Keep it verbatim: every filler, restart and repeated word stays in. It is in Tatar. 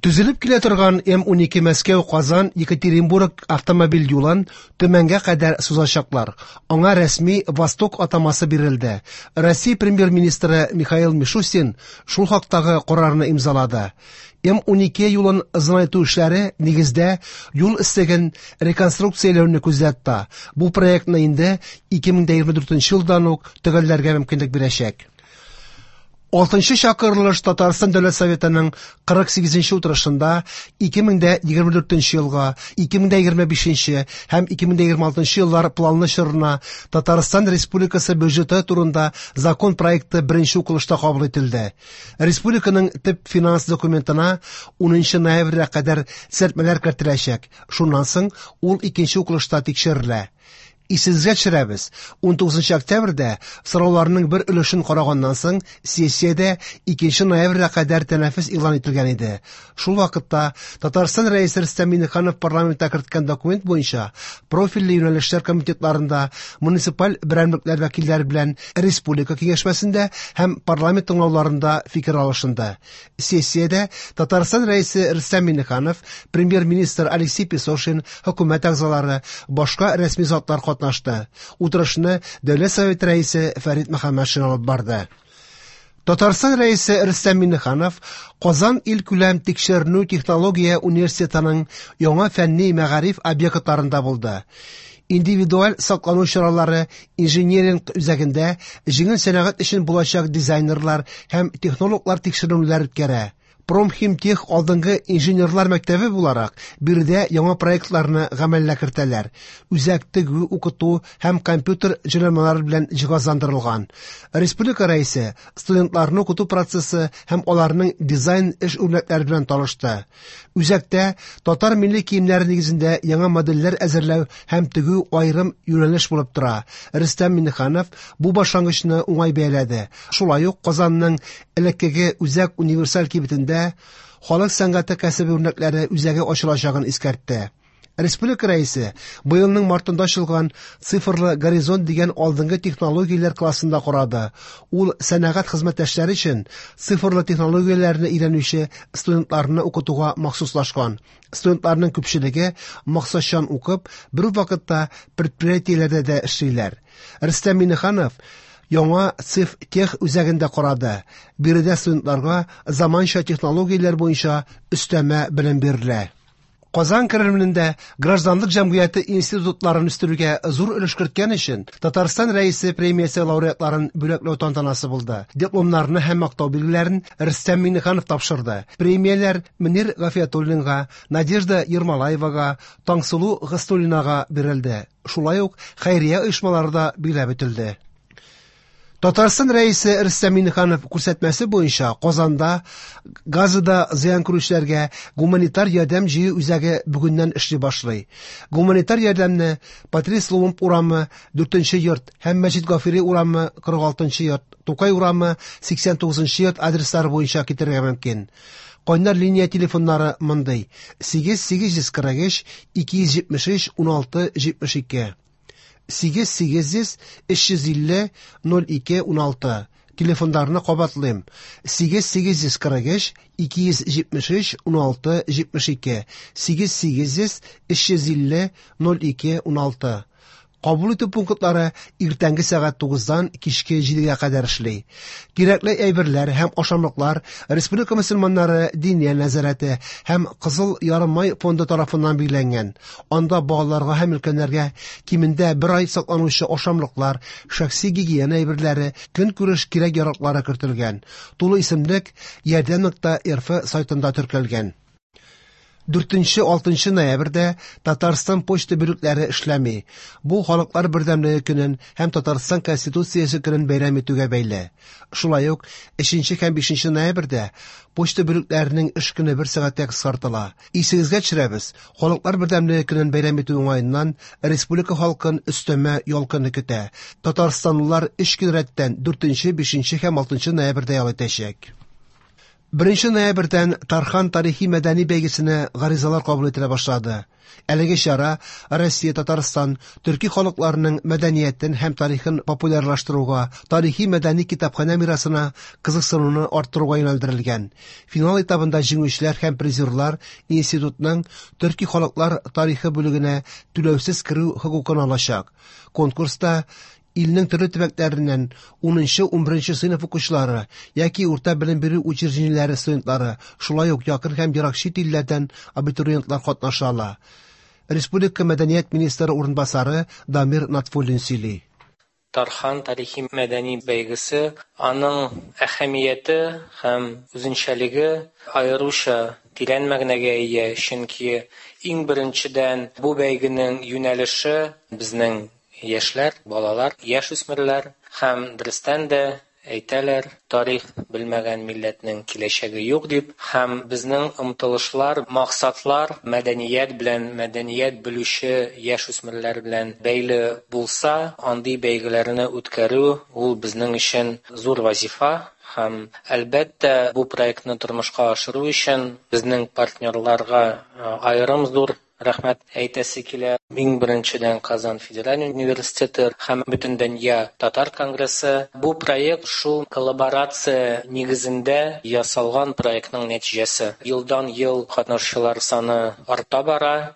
Төзелеп килә торган М унике Мәскәү-Казан Екатеринбург автомобиль юлын Төмәнгә кадәр сузачаклар. Аңа рәсми Восток атамасы бирелде. Россия премьер-министры Михаил Мишустин шул хактагы карарны имзалады. М унике юлын озынайту эшләре нигездә юл өслеген реконструкцияләүне күздә тота. Бу проектны инде ике мең егерме дүртенче елдан ук төгәлләргә мөмкинлек бирәчәк. Алтынчы чакырылыш Татарстан Дәүләт Советының кырык сигезенче утырышында ике мең егерме дүртенче елга, ике мең егерме бишенче һәм ике мең егерме алтынчы еллар планлы чорына Татарстан Республикасы бюджеты турында закон проекты беренче укылышта кабул ителде. Республиканың төп финанс документына унынчы ноябрьгә кадәр төзәтмәләр кертеләчәк. Шуннан соң ул икенче укылышта тикшерелә. Исегезгә төшерәбез, унтугызынчы октябрьдә сорауларның бер өлешен караганнан соң сессиядә икенче ноябрьгә кадәр тәнәфес игълан ителгән иде. Шул вакытта Татарстан Рәисе Рөстәм Миңнеханов парламентта керткән документ буенча профильле юнәлешләр комитетларында муниципаль берәмлекләр вәкилләре белән республика киңәшмәсендә һәм парламент тыңлауларында фикер алышынды. Сессиядә Татарстан Рәисе Рөстәм Миңнеханов, премьер-министр Алексей Песошин, хөкүмәт әгъзалары, башка рәсми затлар катнашты. Утырышны Дәүләт Советы рәисе Фәрит Мөхәммәтшин алып барды. Татарстан Рәисе Рөстәм Миңнеханов Казан илкүләм тикшеренү технология университетының яңа фәнни мәгариф объектларында булды. Индивидуаль саклану чаралары инжиниринг үзәгендә җиңел сәнәгать өчен булачак дизайнерлар һәм технологлар тикшеренүләр үткәрә. Промхимтех алдынгы инженерлар мәктәбе буларак биредә яңа проектларны гамәлгә кертәләр. Үзәк тегү, укыту һәм компьютер җайланмалары белән җиһазландырылган. Республика рәисе студентларны укыту процессы һәм аларның дизайн эш үрнәкләре белән танышты. Үзәктә татар милли киемнәре нигезендә яңа модельләр әзерләү һәм тегү аерым юнәлеш булып тора. Рөстәм Миңнеханов бу башлангычны уңай бәяләде. Шулай ук Казанның элеккеге үзәк универсаль кибетендә халык сәнгате кәсебе үрнәкләре үзәге ачылачагын искәртте. Республика рәисе быелның мартында ачылган Цифрлы горизонт дигән алдынгы технологияләр классында карады. Ул сәнәгать хезмәттәшләре өчен цифрлы технологияләрне өйрәнүче студентларны укытуга махсуслашкан. Студентларның күпчелеге максатчан укып, бер үк вакытта предприятиеләрдә дә эшлиләр. Рөстәм Миңнеханов яңа Цифтех үзәгендә карады. Биредә студентларга заманча технологияләр буенча өстәмә белем бирелә. Казан Кремлендә гражданлык җәмгыяте институтларын үстерүгә зур өлеш керткән өчен Татарстан Рәисе премиясе лауреатларын бүләкләү тантанасы булды. Дипломнарны һәм мактау билгеләрен Рөстәм Миңнеханов тапшырды. Премияләр Мөнир Гафиятуллинга, Надежда Ермолаевага, Таңсылу Гыйззәтуллинага бирелде. Шулай ук хәйрия оешмалары да билгеләп үтелде. Татарстан Рәисе Рөстәм Миңнеханов күрсәтмәсе буенча Казанда Газада зыян күрүчеләргә гуманитар ярдәм җыю үзәге бүгеннән эшли башлый. Гуманитар ярдәмне Патрис Лумумба урамы дүртенче йорт һәм Мәҗит Гафури урамы кырык алтынчы йорт, Тукай урамы сиксән тугызынчы йорт адреслары буенча китерергә мөмкин. Кайнар линия телефоннары мондый: сигез сигез йөз кырык өч ике йөз җитмеш өч уналты җитмеш ике. Сигез сигез йөз өч йөз илле ноль ике уналты. Телефоннарны кабатлыйм: сигез сигез йөз кырык өч ике йөз җитмеш өч уналты җитмеш ике. Сигез сигез йөз өч йөз илле ноль ике уналты. Кабул итү пунктлары иртәнге сәгать тугыздан кичке җидегә кадәр эшли. Кирәкле әйберләр һәм ашамлыклар Республика мөселманнары Диния нәзарәте һәм Кызыл Ярымай фонды тарафыннан билгеләнгән. Анда балаларга һәм өлкәннәргә кимендә бер ай сакланучы ашамлыклар, шәхси гигиена әйберләре, көнкүреш кирәк-яраклары кертелгән. Тулы исемлек ярдәм нокта рф сайтында теркәлгән. Дүртенче, алтынчы ноябрьдә Татарстан почта бүлекләре эшләми. Бу Халыклар бердәмлеге көнен һәм Татарстан Конституциясе көнен бәйрәм итүгә бәйле. Шулай ук өченче һәм бишенче ноябрьдә почта бүлекләренең эш көне бер сәгатькә кыскартыла. Исегезгә төшерәбез, Халыклар бердәмлеге көнен бәйрәм итү уңаеннан республика халкын өстәмә ял көне көтә. Татарстанлылар өч көн рәттән дүртенче, бишенче һәм алтынчы ноябрьдә ял итәчәк. Беренче ноябрьдән Тархан тарихи-мәдәни бәйгесенә гаризалар кабул ителә башлады. Әлеге чара Россия, Татарстан, төрки халыкларының мәдәниятен һәм тарихын популярлаштыруга, тарихи-мәдәни китапханә мирасына кызыксынуны арттыруга юнәлдерелгән. Финал этабында җиңүчеләр һәм призерлар институтның төрки халыклар тарихы бүлегенә түләүсез керү хокукын алачак. Конкурста илнең төрле төбәкләреннән унынчы-унберенче сыйныф укучылары яки урта белем бирү учреждениеләре студентлары, шулай ук якын һәм ерак чит илләрдән абитуриентлар катнаша ала. Республика мәдәният министры урынбасары Дамир Натфуллин сөйли. Тархан тарихи мәдәни бәйгесе, аның әһәмияте һәм үзенчәлеге аеруча тирән мәгънәгә ия, чөнки иң беренчедән бу бәйгенең юнәлеше безнең яшьләр, балалар, яшь үсмерләр һәм дөрестән дә әйтәләр, тарих белмәгән милләтнең киләчәге юк дип, һәм безнең омтылышлар, максатлар мәдәният белән, мәдәният белүче яшь үсмерләр белән бәйле булса, андый бәйгеләрне үткәрү ул безнең өчен зур вазифа. Һәм әлбәттә бу проектны тормышка ашыру өчен безнең партнерларга аерым зур рәхмәт әйтәсе килә. Иң беренчедән Казан федераль университеты һәм Бөтендөнья татар конгрессы. Бу проект шул коллаборация нигезендә ясалган проектның нәтиҗәсе. Елдан ел катнашучылар саны арта бара.